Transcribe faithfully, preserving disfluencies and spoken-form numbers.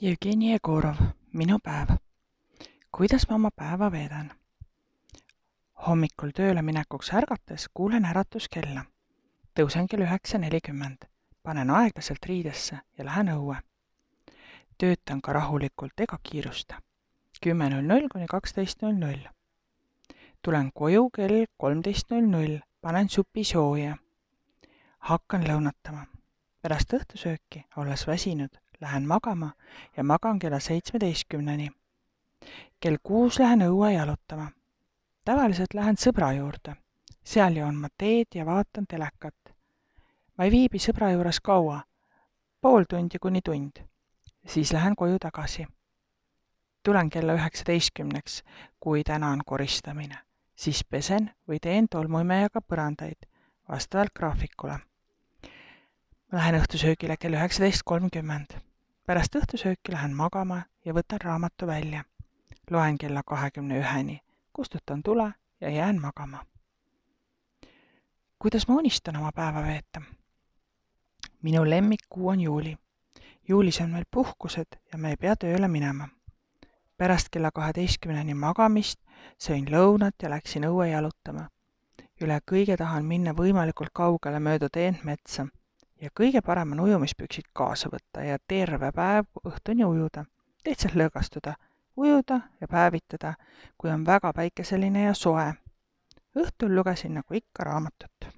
Jevgeni Jegorov, minu päev. Kuidas ma oma päeva veedan? Hommikul tööle minekuks ärgates kuulen äratuskella. Tõusen kell üheksa nelikümmend, panen aeglaselt riidesse ja lähen õue. Töötan ka rahulikult ega kiirusta. kümme null null kuni kaksteist null null. Tulen koju kell kolmteist null null, panen supi sooja. Hakkan lõunatama. Pärast õhtusööki, olles väsinud, lähen magama ja magan kella seitsmeteistkümneni. Kell kuus lähen õue jalutama. Tavaliselt lähen sõbra juurde. Seal joon ma teed ja vaatan telekat. Ma ei viibi sõbra juures kaua, pool tundi kuni tund. Siis lähen koju tagasi. Tulen kella üheksateistkümneks, kui täna on koristamine. Siis pesen või teen tolmuimejaga põrandaid, vastavalt graafikule. Lähen õhtusöögile kell üheksateist kolmkümmend. Pärast õhtusööki lähen magama ja võtan raamatu välja. Loen kella kahekümne üheni, kustutan tule ja jään magama. Kuidas ma unistan oma päeva veeta? Minu lemmikkuu on juuli. Juulis on meil puhkused ja me ei pea tööle minema. Pärast kella kaheteistkümneni magamist sõin lõunat ja läksin õue jalutama. Üle kõige tahan minna võimalikult kaugele mööda teent metsa ja kõige parem on ujumispüksid kaasa võtta ja terve päev õhtuni ujuda, lihtsalt lõõgastuda, ujuda ja päevitada, kui on väga päikeseline ja soe. Õhtul lugesin nagu ikka raamatut.